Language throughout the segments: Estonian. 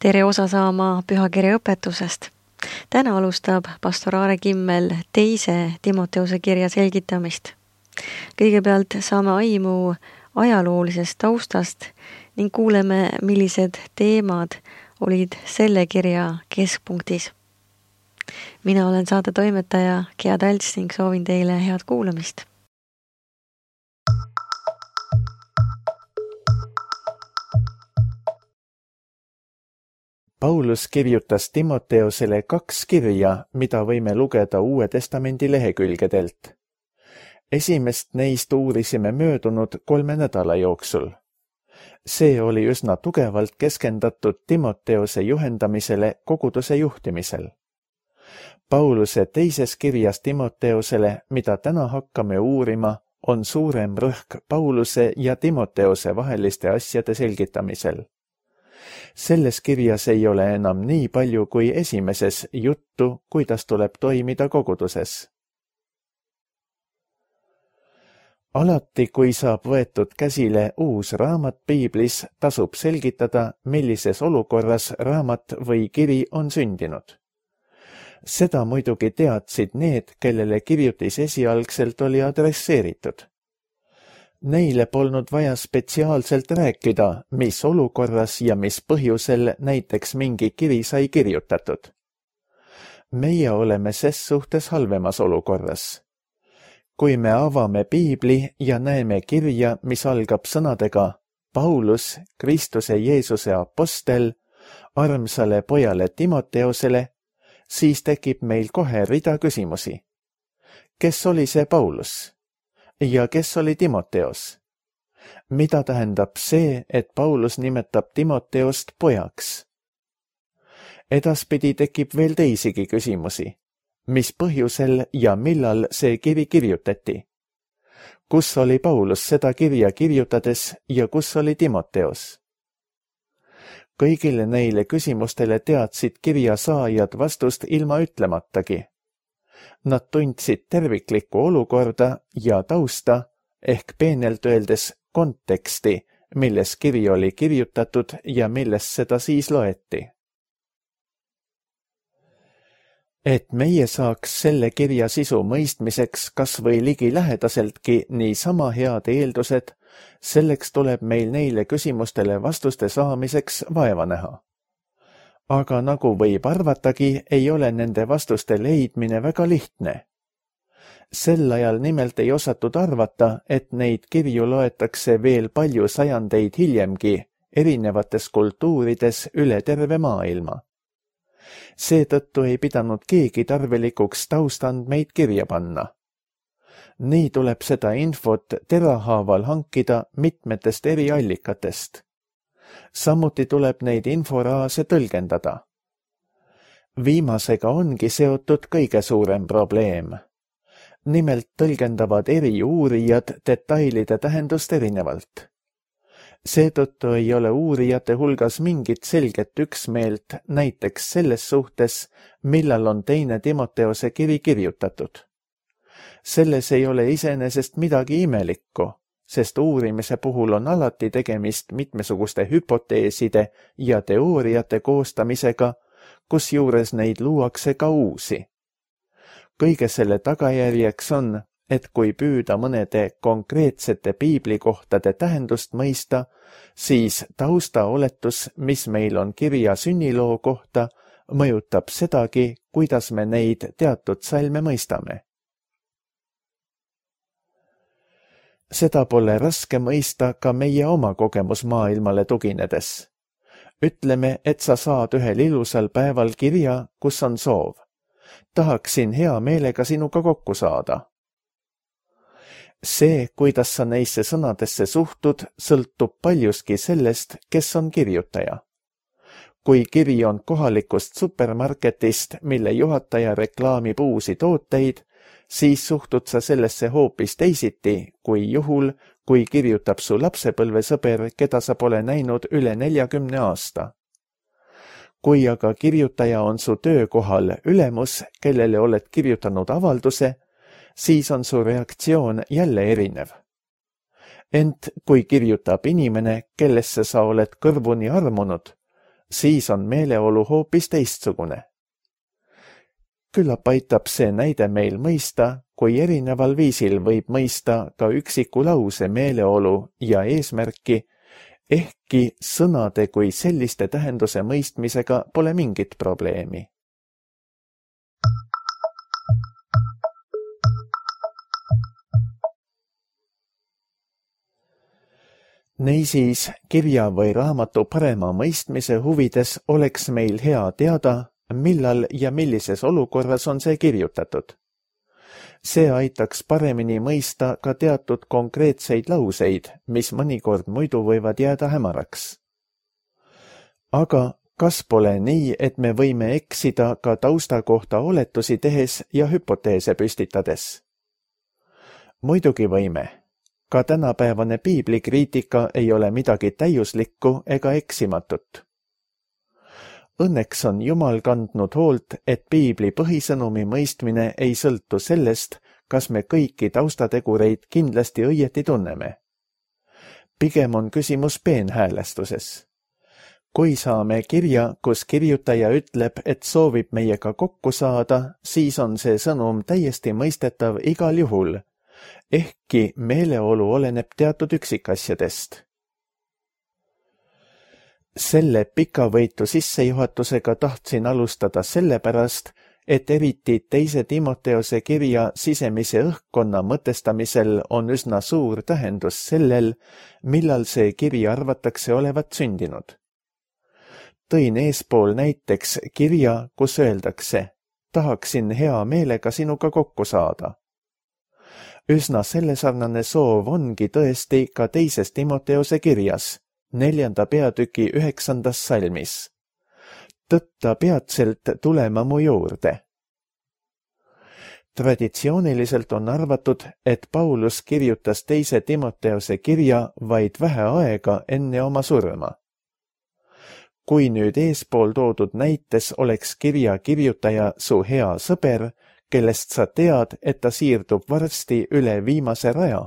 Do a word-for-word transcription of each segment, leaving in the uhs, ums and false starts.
tere osa saama pühakirja õpetusest. Täna alustab pastor Aare Kimmel teise Timoteuse kirja selgitamist. Kõigepealt saame aimu ajaloolisest taustast ning kuuleme, millised teemad olid selle kirja keskpunktis. Mina olen saate toimetaja Gea Talts ning soovin teile head kuulamist. Paulus kirjutas Timoteusele kaks kirja, mida võime lugeda Uue Testamendi lehekülgedelt. Esimest neist uurisime möödunud kolme nädala jooksul. See oli üsna tugevalt keskendatud Timoteuse juhendamisele koguduse juhtimisel. Pauluse teises kirjas Timoteusele, mida täna hakkame uurima, on suurem rõhk Pauluse ja Timoteuse vaheliste asjade selgitamisel. Selles kirjas ei ole enam nii palju kui esimeses juttu, kuidas tuleb toimida koguduses. Alati, kui saab võetud käsile uus raamat piiblis, tasub selgitada, millises olukorras raamat või kiri on sündinud. Seda muidugi teadsid need, kellele kirjutis esialgselt oli adresseeritud. Neile polnud vaja spetsiaalselt rääkida, mis olukorras ja mis põhjusel näiteks mingi kiri sai kirjutatud. Meie oleme ses suhtes halvemas olukorras. Kui me avame piibli ja näeme kirja, mis algab sõnadega Paulus, Kristuse Jeesuse apostel, armsale pojale Timoteusele, siis tekib meil kohe rida küsimusi. Kes oli see Paulus? Ja kes oli Timoteos? Mida tähendab see, et Paulus nimetab Timoteost pojaks? Edaspidi tekib veel teisigi küsimusi. Mis põhjusel ja millal see kiri kirjutati? Kus oli Paulus seda kirja kirjutades ja kus oli Timoteos? Kõigile neile küsimustele teadsid kirja saajad vastust ilma ütlematagi. Nad tundsid terviklikku olukorda ja tausta, ehk peenelt öeldes konteksti, milles kiri oli kirjutatud ja milles seda siis loeti. Et meie saaks selle kirja sisu mõistmiseks kas või ligi lähedaseltki niisama head eeldused, selleks tuleb meil neile küsimustele vastuste saamiseks vaeva näha. Aga nagu võib arvatagi, ei ole nende vastuste leidmine väga lihtne. Sel ajal nimelt ei osatud arvata, et neid kirju loetakse veel palju sajandeid hiljemgi erinevates kultuurides üle terve maailma. Seetõttu ei pidanud keegi tarvilikuks taustandmeid kirja panna. Nii tuleb seda infot terahaaval hankida mitmetest eri allikatest. Samuti tuleb neid inforaase tõlgendada. Viimasega ongi seotud kõige suurem probleem. Nimelt tõlgendavad eri uurijad detailide tähendust erinevalt. Seetõttu ei ole uurijate hulgas mingit selget üksmeelt näiteks selles suhtes, millal on teine Timoteose kiri kirjutatud. Selles ei ole iseenesest midagi imelikku, sest uurimise puhul on alati tegemist mitmesuguste hüpoteeside ja teooriate koostamisega, kusjuures neid luuakse ka uusi. Kõige selle tagajärjeks on, et kui püüda mõnede konkreetsete piiblikohtade tähendust mõista, siis taustaoletus, mis meil on kirja sünniloo kohta, mõjutab sedagi, kuidas me neid teatud salme mõistame. Seda pole raske mõista ka meie oma kogemus maailmale tuginedes. Ütleme, et sa saad ühel ilusal päeval kirja, kus on soov. Tahaksin hea meelega sinuga kokku saada. See, kuidas sa neisse sõnadesse suhtud, sõltub paljuski sellest, kes on kirjutaja. Kui kiri on kohalikust supermarketist, mille juhataja reklaamib uusi tooteid, siis suhtud sa sellesse hoopis teisiti, kui juhul, kui kirjutab su lapsepõlvesõber, keda sa pole näinud üle neljakümne aasta. Kui aga kirjutaja on su töökohal ülemus, kellele oled kirjutanud avalduse, siis on su reaktsioon jälle erinev. Ent kui kirjutab inimene, kellesse sa oled kõrvuni armunud, siis on meeleolu hoopis teistsugune. Küllap aitab see näide meil mõista, kui erineval viisil võib mõista ka üksiku lause meeleolu ja eesmärki, ehkki sõnade kui selliste tähenduse mõistmisega pole mingit probleemi. Niisiis, kirja või raamatu parema mõistmise huvides oleks meil hea teada, millal ja millises olukorras on see kirjutatud. See aitaks paremini mõista ka teatud konkreetseid lauseid, mis mõnikord muidu võivad jääda hämaraks. Aga kas pole nii, et me võime eksida ka tausta kohta oletusi tehes ja hüpoteese püstitades? Muidugi võime. Ka tänapäevane piiblikriitika ei ole midagi täiuslikku ega eksimatut. Õnneks on Jumal kandnud hoolt, et piibli põhisõnumi mõistmine ei sõltu sellest, kas me kõiki taustategureid kindlasti õieti tunneme. Pigem on küsimus peenhäälestuses. Kui saame kirja, kus kirjutaja ütleb, et soovib meiega kokku saada, siis on see sõnum täiesti mõistetav igal juhul, ehkki meeleolu oleneb teatud üksikasjadest. Selle pikavõitu sissejuhatusega tahtsin alustada sellepärast, et eriti teise Timoteose kirja sisemise õhkkonna mõtestamisel on üsna suur tähendus sellel, millal see kiri arvatakse olevat sündinud. Tõin eespool näiteks kirja, kus öeldakse, tahaksin hea meelega sinuga kokku saada. Üsna sellesarnane soov ongi tõesti ka teises Timoteose kirjas, neljanda peatüki üheksandas salmis. Tõtta peatselt tulema mu juurde. Traditsiooniliselt on arvatud, et Paulus kirjutas teise Timoteose kirja vaid vähe aega enne oma surma. Kui nüüd eespool toodud näites oleks kirja kirjutaja su hea sõber, kellest sa tead, et ta siirdub varsti üle viimase raja,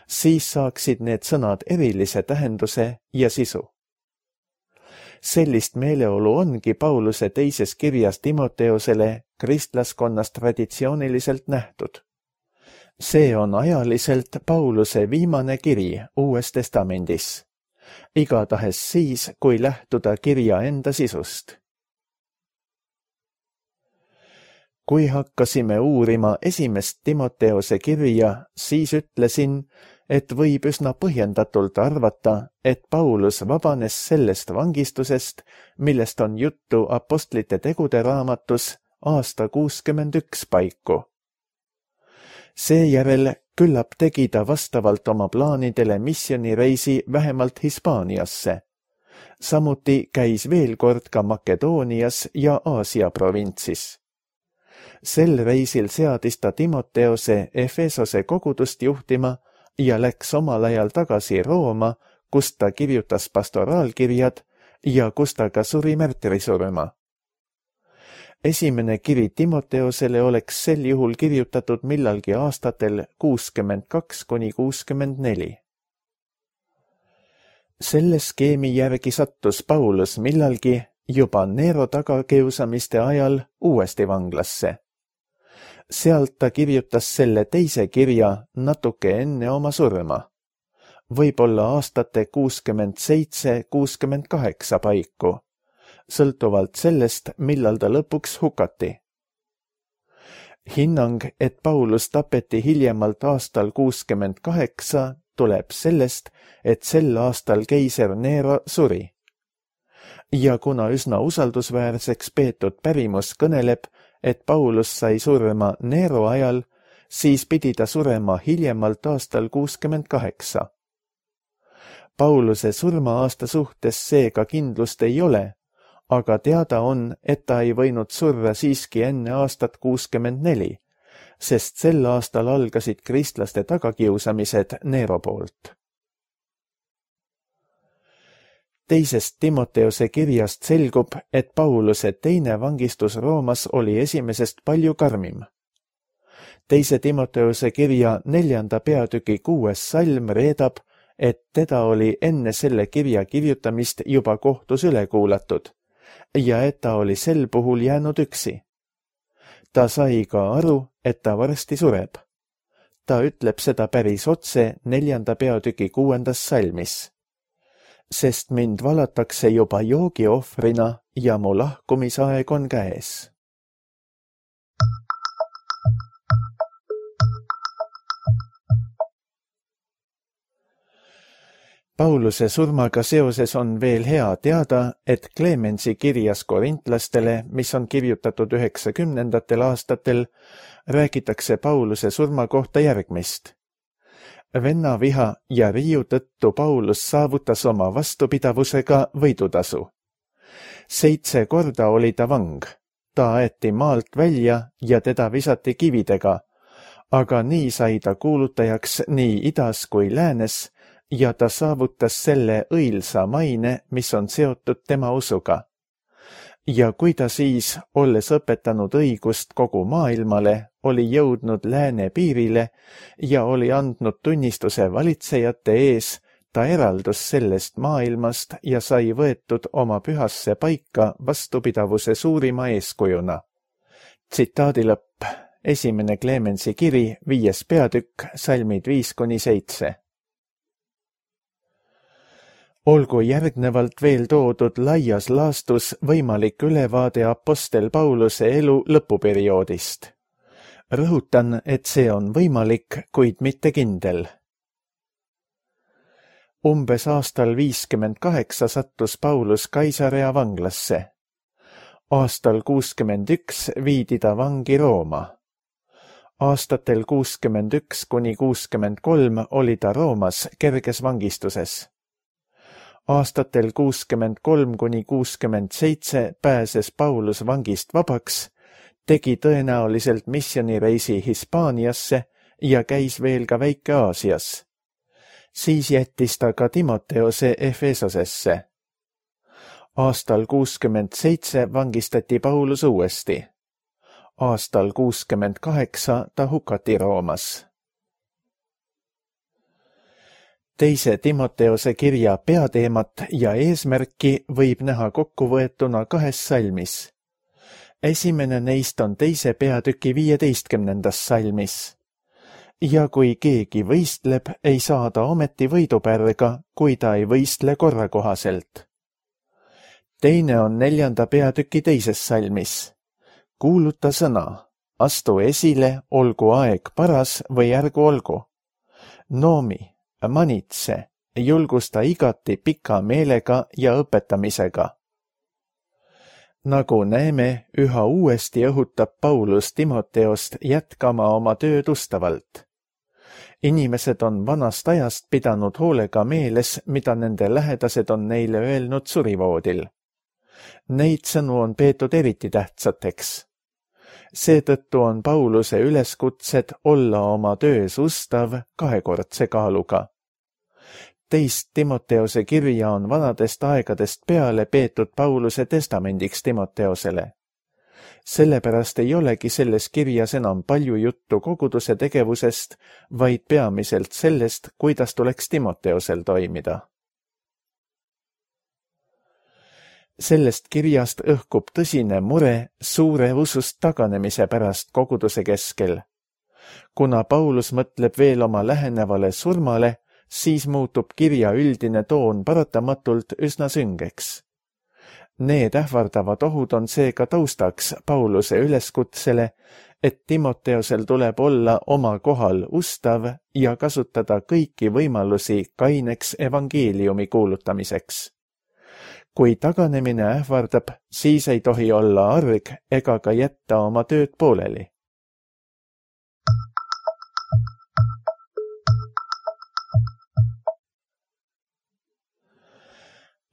siis saaksid need sõnad erilise tähenduse ja sisu. Sellist meeleolu ongi Pauluse teises kirjas Timoteosele kristlaskonnas traditsiooniliselt nähtud. See on ajaliselt Pauluse viimane kiri Uues Testamendis, igatahes siis, kui lähtuda kirja enda sisust. Kui hakkasime uurima esimest Timoteose kirja, siis ütlesin, et võib üsna põhjendatult arvata, et Paulus vabanes sellest vangistusest, millest on juttu Apostlite tegude raamatus aasta kuuskümmend üks paiku. Seejärel küllap tegi ta vastavalt oma plaanidele missioonireisi vähemalt Hispaaniasse. Samuti käis veel kord ka Makedoonias ja Aasia provintsis. Sel reisil seadis ta Timoteose Efesose kogudust juhtima ja läks omal ajal tagasi Rooma, kus ta kirjutas pastoraalkirjad ja kus ta ka suri märtrisurma. Esimene kiri Timoteosele oleks sel juhul kirjutatud millalgi aastatel kuuskümmend kaks kuni kuuskümmend neli. Selle skeemi järgi sattus Paulus millalgi juba Nero tagakiusamiste ajal uuesti vanglasse. Sealt ta kirjutas selle teise kirja natuke enne oma surma, võib-olla aastate kuuskümmend seitse kuuskümmend kaheksa paiku, sõltuvalt sellest, millal ta lõpuks hukati. Hinnang, et Paulus tapeti hiljemalt aastal kuuskümmend kaheksa, tuleb sellest, et sel aastal keiser Nero suri. Ja kuna üsna usaldusväärseks peetud pärimus kõneleb, et Paulus sai surma Nero ajal, siis pidi ta surema hiljemalt aastal kuuskümmend kaheksa. Pauluse surma-aasta suhtes seega kindlust ei ole, aga teada on, et ta ei võinud surra siiski enne aastat kuuskümmend neli, sest sel aastal algasid kristlaste tagakiusamised Nero poolt. Teisest Timoteose kirjast selgub, et Pauluse teine vangistus Roomas oli esimesest palju karmim. Teise Timoteose kirja neljanda peatüki kuues salm reedab, et teda oli enne selle kirja kirjutamist juba kohtus üle kuulatud ja et ta oli sel puhul jäänud üksi. Ta sai ka aru, et ta varsti sureb. Ta ütleb seda päris otse neljanda peatüki kuuendas salmis. Sest mind valatakse juba joogiohvrina ja mu lahkumisaeg on käes. Pauluse surmaga seoses on veel hea teada, et Clemensi kirjas korintlastele, mis on kirjutatud üheksakümnendatel aastatel, räägitakse Pauluse surma kohta järgmist. Vennaviha ja riiu tõttu Paulus saavutas oma vastupidavusega võidutasu. Seitse korda oli ta vang, ta aeti maalt välja ja teda visati kividega, aga nii sai ta kuulutajaks nii idas kui läänes ja ta saavutas selle õilsa maine, mis on seotud tema usuga. Ja kui ta siis, olles õpetanud õigust kogu maailmale, oli jõudnud lääne piirile ja oli andnud tunnistuse valitsejate ees, ta eraldus sellest maailmast ja sai võetud oma pühasse paika vastupidavuse suurima eeskujuna. Tsitaadi lõpp. Esimene Clemensi kiri, viies peatükk, salmid viis kuni seitse. Olgu järgnevalt veel toodud laias laastus võimalik ülevaade apostel Pauluse elu lõpuperioodist. Rõhutan, et see on võimalik, kuid mitte kindel. Umbes aastal viiskümmend kaheksa sattus Paulus Kaisarea vanglasse. Aastal kuuskümmend üks viidi ta vangi Rooma. Aastatel kuuskümmend üks kuni kuuskümmend kolm oli ta Roomas kerges vangistuses. Aastatel kuuskümmend kolm kuni kuuskümmend seitse pääses Paulus vangist vabaks, tegi tõenäoliselt missioonireisi Hispaaniasse ja käis veel ka Väike-Aasias. Siis jättis ta ka Timoteose Efesosesse. Aastal kuuskümmend seitse vangistati Paulus uuesti. Aastal kuuskümmend kaheksa ta hukati Roomas. Teise Timoteose kirja peateemat ja eesmärki võib näha kokkuvõetuna kahes salmis. Esimene neist on teise peatüki viieteistkümnendas salmis. Ja kui keegi võistleb, ei saa ta ometi võidupärga, kui ta ei võistle korrakohaselt. Teine on neljanda peatüki teises salmis. Kuuluta sõna, astu esile, olgu aeg paras või ärgu olgu. Noomi, manitse, julgusta igati pika meelega ja õpetamisega. Nagu näeme, üha uuesti õhutab Paulus Timoteost jätkama oma tööd ustavalt. Inimesed on vanast ajast pidanud hoolega meeles, mida nende lähedased on neile öelnud surivoodil. Neid sõnu on peetud eriti tähtsateks. Seetõttu on Pauluse üleskutsed olla oma töös ustav kahekordse kaaluga. Teist Timoteose kirja on vanadest aegadest peale peetud Pauluse testamendiks Timoteosele. Sellepärast ei olegi selles kirjas enam palju juttu koguduse tegevusest, vaid peamiselt sellest, kuidas tuleks Timoteosel toimida. Sellest kirjast õhkub tõsine mure suure usust taganemise pärast koguduse keskel. Kuna Paulus mõtleb veel oma lähenevale surmale, siis muutub kirja üldine toon paratamatult üsna süngeks. Need ähvardavad ohud on seega taustaks Pauluse üleskutsele, et Timoteosel tuleb olla oma kohal ustav ja kasutada kõiki võimalusi kaineks evangeeliumi kuulutamiseks. Kui taganemine ähvardab, siis ei tohi olla arg ega ka jätta oma tööd pooleli.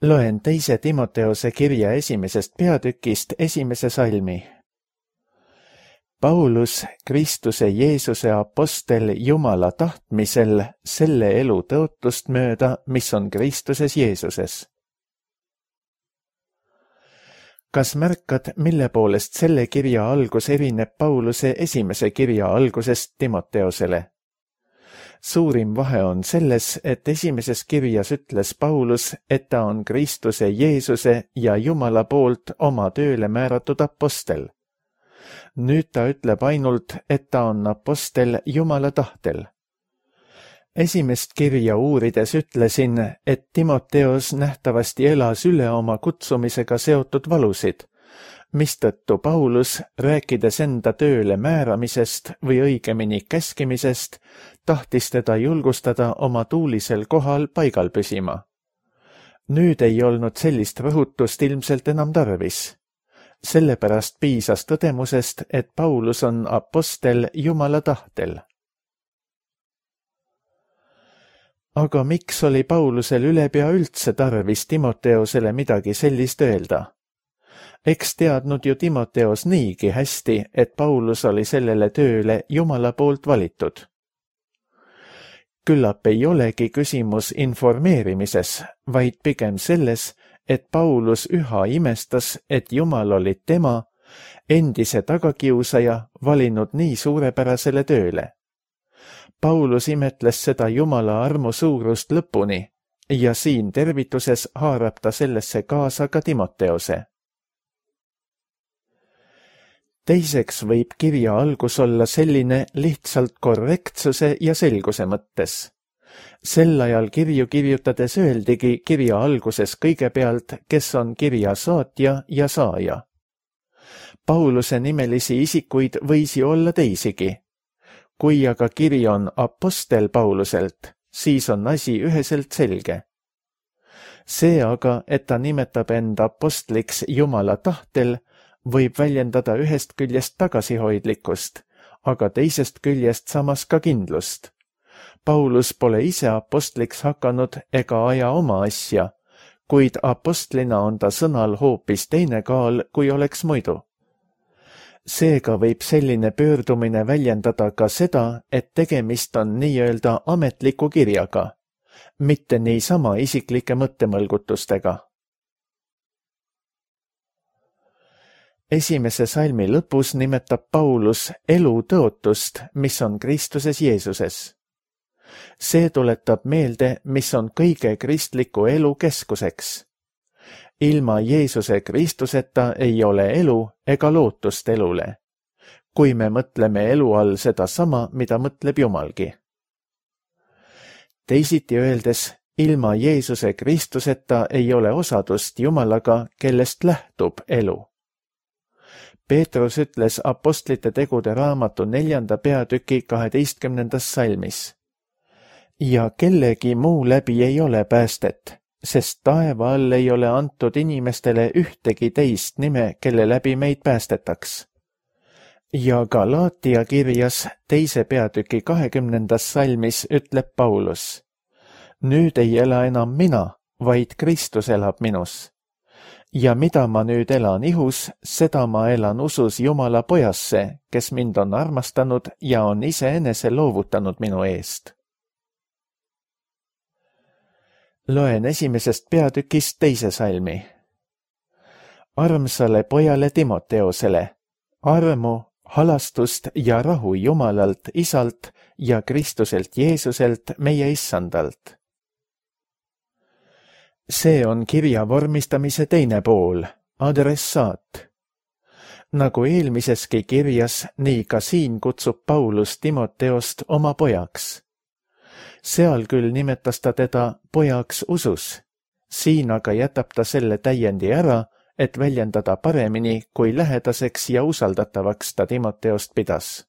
Loen teise Timoteose kirja esimesest peatükist esimese salmi. Paulus, Kristuse Jeesuse apostel Jumala tahtmisel selle elu tõotust mööda, mis on Kristuses Jeesuses. Kas märkad, mille poolest selle kirja algus erineb Pauluse esimese kirja algusest Timoteosele? Suurim vahe on selles, et esimeses kirjas ütles Paulus, et ta on Kristuse Jeesuse ja Jumala poolt oma tööle määratud apostel. Nüüd ta ütleb ainult, et ta on apostel Jumala tahtel. Esimest kirja uurides ütlesin, et Timoteos nähtavasti elas üle oma kutsumisega seotud valusid, mistõttu Paulus, rääkides enda tööle määramisest või õigemini käskimisest, tahtis teda julgustada oma tuulisel kohal paigal püsima. Nüüd ei olnud sellist rõhutust ilmselt enam tarvis. Sellepärast piisas tõdemusest, et Paulus on apostel Jumala tahtel. Aga miks oli Paulusel ülepea üldse tarvis Timoteosele midagi sellist öelda? Eks teadnud ju Timoteos niigi hästi, et Paulus oli sellele tööle Jumala poolt valitud. Küllap ei olegi küsimus informeerimises, vaid pigem selles, et Paulus üha imestas, et Jumal oli tema, endise tagakiusaja, valinud nii suurepärasele tööle. Paulus imetles seda Jumala armu suurust lõpuni ja siin tervituses haarab ta sellesse kaasa ka Timoteose. Teiseks võib kirja algus olla selline lihtsalt korrektsuse ja selguse mõttes. Sel ajal kirju kirjutades öeldigi kirja alguses kõigepealt, kes on kirja saatja ja saaja. Pauluse nimelisi isikuid võisi olla teisigi. Kui aga kiri on apostel Pauluselt, siis on asi üheselt selge. See aga, et ta nimetab end apostliks Jumala tahtel, võib väljendada ühest küljest tagasihoidlikkust, aga teisest küljest samas ka kindlust. Paulus pole ise apostliks hakanud ega aja oma asja, kuid apostlina on ta sõnal hoopis teine kaal, kui oleks muidu. Seega võib selline pöördumine väljendada ka seda, et tegemist on nii-öelda ametliku kirjaga, mitte niisama isiklike mõttemõlgutustega. Esimese salmi lõpus nimetab Paulus elu tõotust, mis on Kristuses Jeesuses. See tuletab meelde, mis on kõige kristliku elu keskuseks. Ilma Jeesuse Kristuseta ei ole elu ega lootust elule, kui me mõtleme elu all seda sama, mida mõtleb Jumalgi. Teisiti öeldes, ilma Jeesuse Kristuseta ei ole osadust Jumalaga, kellest lähtub elu. Peetrus ütles apostlite tegude raamatu neljanda peatüki kaheteistkümnendas salmis. Ja kellegi muu läbi ei ole päästet, sest taeva all ei ole antud inimestele ühtegi teist nime, kelle läbi meid päästetaks. Ja Galaatia kirjas teise peatüki kahekümnendas salmis ütleb Paulus. Nüüd ei ela enam mina, vaid Kristus elab minus. Ja mida ma nüüd elan ihus, seda ma elan usus Jumala pojasse, kes mind on armastanud ja on iseenese loovutanud minu eest. Loen esimesest peatükist teise salmi. Armsale pojale Timoteosele, armu, halastust ja rahu Jumalalt, Isalt ja Kristuselt Jeesuselt, meie Issandalt. See on kirja vormistamise teine pool, adressaat. Nagu eelmiseski kirjas, nii ka siin kutsub Paulus Timoteost oma pojaks. Seal küll nimetas ta teda pojaks usus, siin aga jätab ta selle täiendi ära, et väljendada paremini, kui lähedaseks ja usaldatavaks ta Timoteost pidas.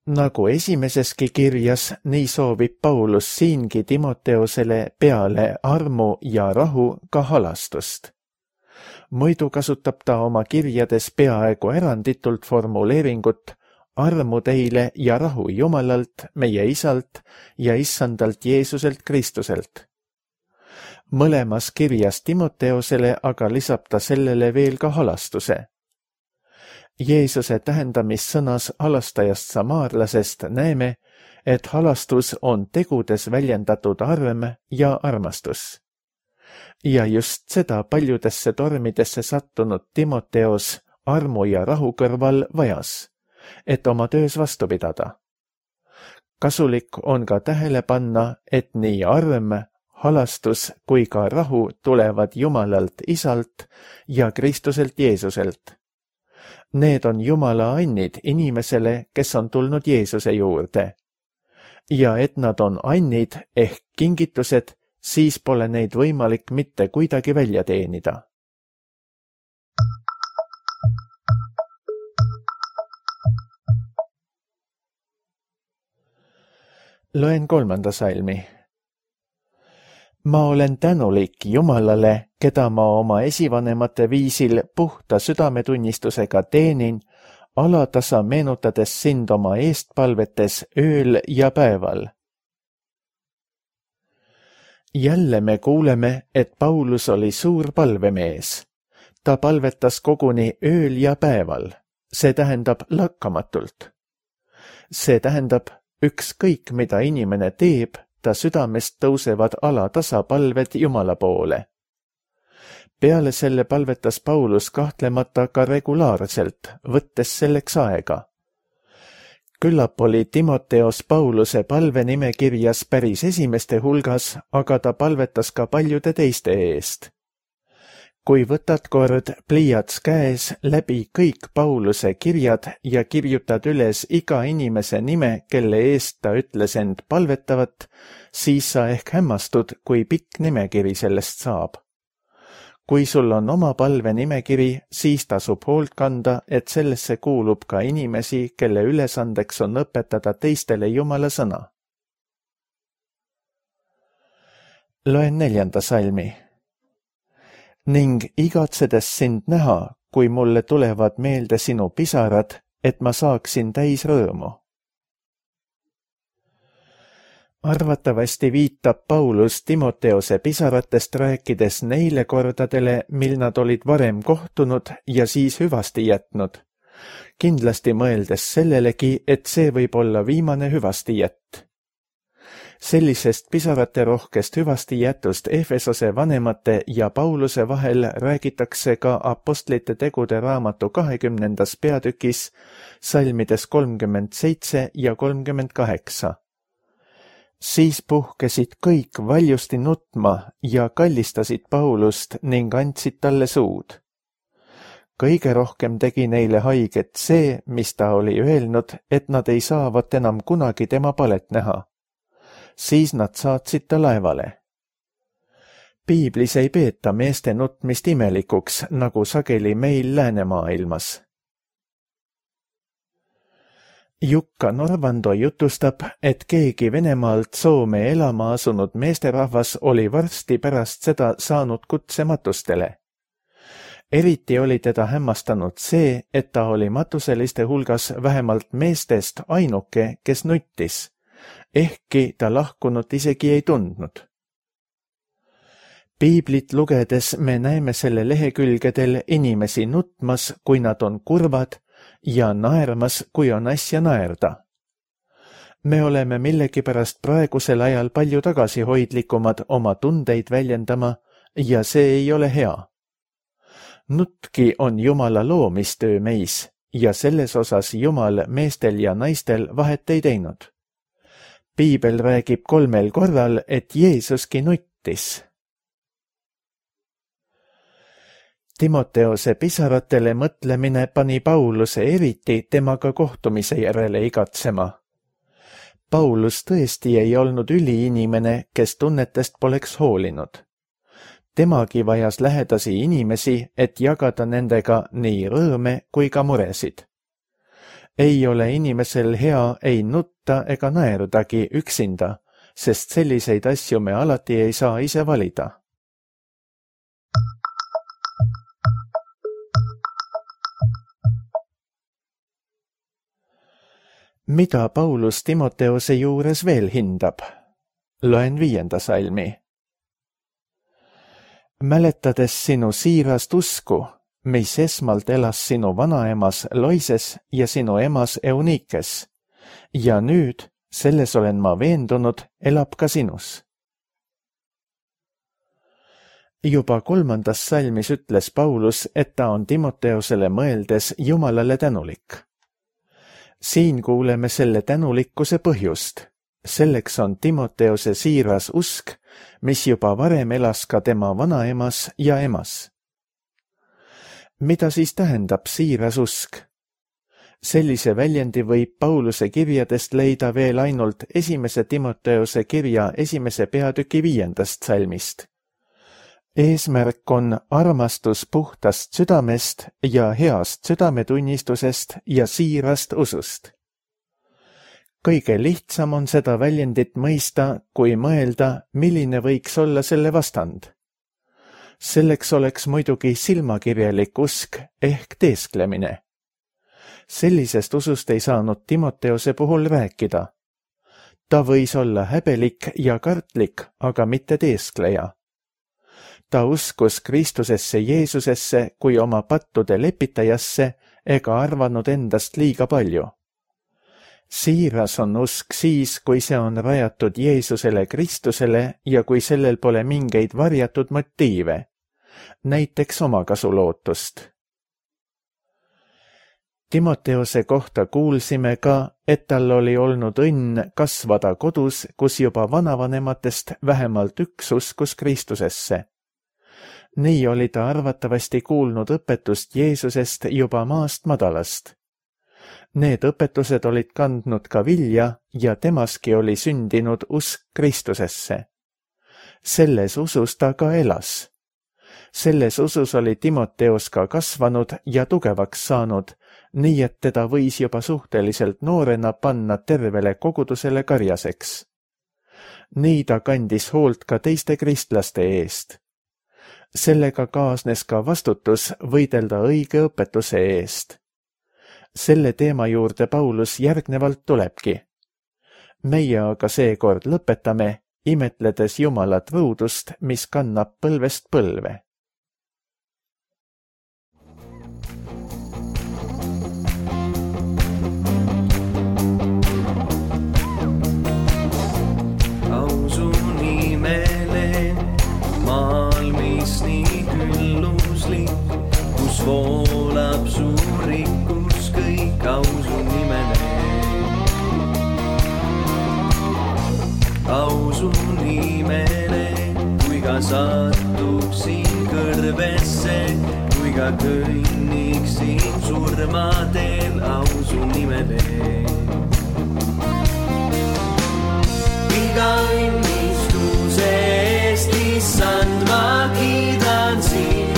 Nagu esimeseski kirjas, nii soovib Paulus siingi Timoteosele peale armu ja rahu ka halastust. Muidu kasutab ta oma kirjades peaaegu eranditult formuleeringut armu teile ja rahu Jumalalt, meie Isalt ja Issandalt Jeesuselt Kristuselt. Mõlemas kirjas Timoteosele aga lisab ta sellele veel ka halastuse. Jeesuse tähendamissõnas halastajast samaarlasest näeme, et halastus on tegudes väljendatud arm ja armastus. Ja just seda paljudesse tormidesse sattunud Timoteos armu ja rahu kõrval vajas, et oma töös vastu pidada. Kasulik on ka tähele panna, et nii arm, halastus kui ka rahu tulevad Jumalalt Isalt ja Kristuselt Jeesuselt. Need on Jumala annid inimesele, kes on tulnud Jeesuse juurde. Ja et nad on annid ehk kingitused, siis pole neid võimalik mitte kuidagi välja teenida. Loen kolmanda salmi. Ma olen tänulik Jumalale, keda ma oma esivanemate viisil puhta südametunnistusega teenin, alatasa meenutades sind oma eestpalvetes ööl ja päeval. Jälle me kuuleme, et Paulus oli suur palvemees. Ta palvetas koguni ööl ja päeval. See tähendab lakkamatult. See tähendab, ükskõik mida inimene teeb, ta südamest tõusevad alatasa palved Jumala poole. Peale selle palvetas Paulus kahtlemata ka regulaarselt, võttes selleks aega. Küllap oli Timoteos Pauluse palvenimekirjas päris esimeste hulgas, aga ta palvetas ka paljude teiste eest. Kui võtad kord pliiats käes läbi kõik Pauluse kirjad ja kirjutad üles iga inimese nime, kelle eest ta ütles end palvetavat, siis sa ehk hämmastud, kui pikk nimekiri sellest saab. Kui sul on oma palvenimekiri, siis tasub hoolt kanda, et sellesse kuulub ka inimesi, kelle ülesandeks on õpetada teistele Jumala sõna. Loen neljanda salmi. Ning igatsedes sind näha, kui mulle tulevad meelde sinu pisarad, et ma saaksin täis rõõmu. Arvatavasti viitab Paulus Timoteose pisaratest rääkides neile kordadele, mil nad olid varem kohtunud ja siis hüvasti jätnud. Kindlasti mõeldes sellelegi, et see võib olla viimane hüvasti jätt. Sellisest pisarate rohkest hüvasti jätust Efesose vanemate ja Pauluse vahel räägitakse ka apostlite tegude raamatu kahekümnendas peatükis, salmides kolmkümmend seitse ja kolmkümmend kaheksa. Siis puhkesid kõik valjusti nutma ja kallistasid Paulust ning andsid talle suud. Kõige rohkem tegi neile haiget see, mis ta oli öelnud, et nad ei saavat enam kunagi tema palet näha. Siis nad saatsid ta laevale. Piiblis ei peeta meeste nutmist imelikuks, nagu sageli meil läänemaailmas. Jukka Norvando jutustab, et keegi Venemaalt Soome elama asunud meesterahvas oli varsti pärast seda saanud kutse matustele. Eriti oli teda hämmastanud see, et ta oli matuseliste hulgas vähemalt meestest ainuke, kes nuttis, ehkki ta lahkunut isegi ei tundnud. Piiblit lugedes me näeme selle lehekülgedel inimesi nutmas, kui nad on kurvad, ja naermas, kui on asja naerda. Me oleme millegipärast praegusel ajal palju tagasihoidlikumad oma tundeid väljendama ja see ei ole hea. Nutki on Jumala loomistöö meis ja selles osas Jumal meestel ja naistel vahet ei teinud. Piibel räägib kolmel korral, et Jeesuski nuttis. Timoteose pisaratele mõtlemine pani Pauluse eriti temaga kohtumise järele igatsema. Paulus tõesti ei olnud üliinimene, kes tunnetest poleks hoolinud. Temagi vajas lähedasi inimesi, et jagada nendega nii rõõme kui ka muresid. Ei ole inimesel hea ei nutta ega naerdagi üksinda, sest selliseid asju me alati ei saa ise valida. Mida Paulus Timoteose juures veel hindab? Loen viienda salmi. Mäletades sinu siirast usku, mis esmalt elas sinu vanaemas Loises ja sinu emas Eunikes, ja nüüd, selles olen ma veendunud, elab ka sinus. Juba kolmandas salmis ütles Paulus, et ta on Timoteosele mõeldes Jumalale tänulik. Siin kuuleme selle tänulikkuse põhjust. Selleks on Timoteose siiras usk, mis juba varem elas ka tema vanaemas ja emas. Mida siis tähendab siiras usk? Sellise väljendi võib Pauluse kirjadest leida veel ainult esimese Timoteose kirja esimese peatüki viiendast salmist. Eesmärk on armastus puhtast südamest ja heast südametunnistusest ja siirast usust. Kõige lihtsam on seda väljendit mõista, kui mõelda, milline võiks olla selle vastand. Selleks oleks muidugi silmakirjalik usk ehk teesklemine. Sellisest usust ei saanud Timoteose puhul rääkida. Ta võis olla häbelik ja kartlik, aga mitte teeskleja. Ta uskus Kristusesse Jeesusesse kui oma pattude lepitajasse ega arvanud endast liiga palju. Siiras on usk siis, kui see on rajatud Jeesusele Kristusele ja kui sellel pole mingeid varjatud motiive, näiteks omakasulootust. Timoteose kohta kuulsime ka, et tal oli olnud õnn kasvada kodus, kus juba vanavanematest vähemalt üks uskus Kristusesse. Nii oli ta arvatavasti kuulnud õpetust Jeesusest juba maast madalast. Need õpetused olid kandnud ka vilja ja temaski oli sündinud usk Kristusesse. Selles usus ta ka elas. Selles usus oli Timoteos ka kasvanud ja tugevaks saanud, nii et teda võis juba suhteliselt noorena panna tervele kogudusele karjaseks. Nii ta kandis hoolt ka teiste kristlaste eest. Sellega kaasnes ka vastutus võidelda õige õpetuse eest. Selle teema juurde Paulus järgnevalt tulebki. Meie aga seekord lõpetame, imetledes Jumala truudust, mis kannab põlvest põlve. Ausu nimele, maal mis nii külluslik, kus voolab suur rikkus kõik ausu nimele. Ausu nimele, kui ka satuksin kõrvesse, kui ka kõnniksin surmadel ausu nimele. Iga õnnistuse eest, issand, ma kiidan sind.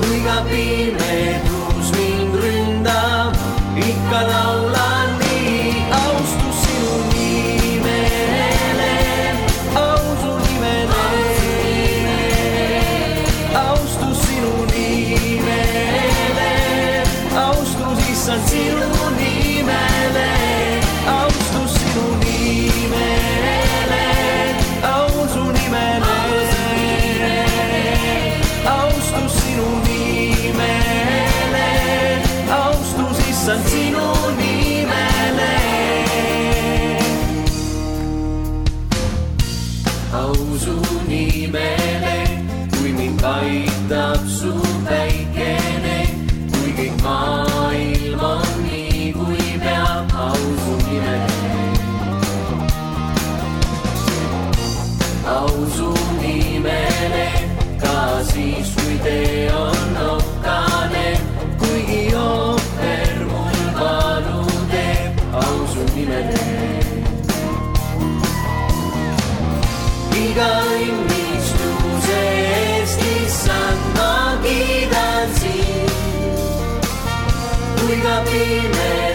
Kui ka pimedus mind ründab, ikka laulan nii. Austus sinu nimele, ausu nimele. Austus sinu nimele, austus issand sinu nimele. Austus sinu nimele, ausu nimele. Austus sinu nimele, austus issand sinu nimele. Ausu nimele, kui mind aitab su päikene, kui kõik maailm on nii, kui peab ausu nimele. Ausu nimele, ka siis, kui tee on okkane, kuigi ohver mul valu teeb, ausu nimele. Iga õnnistuse eest, issand, ma kiidan sind, kui ka pime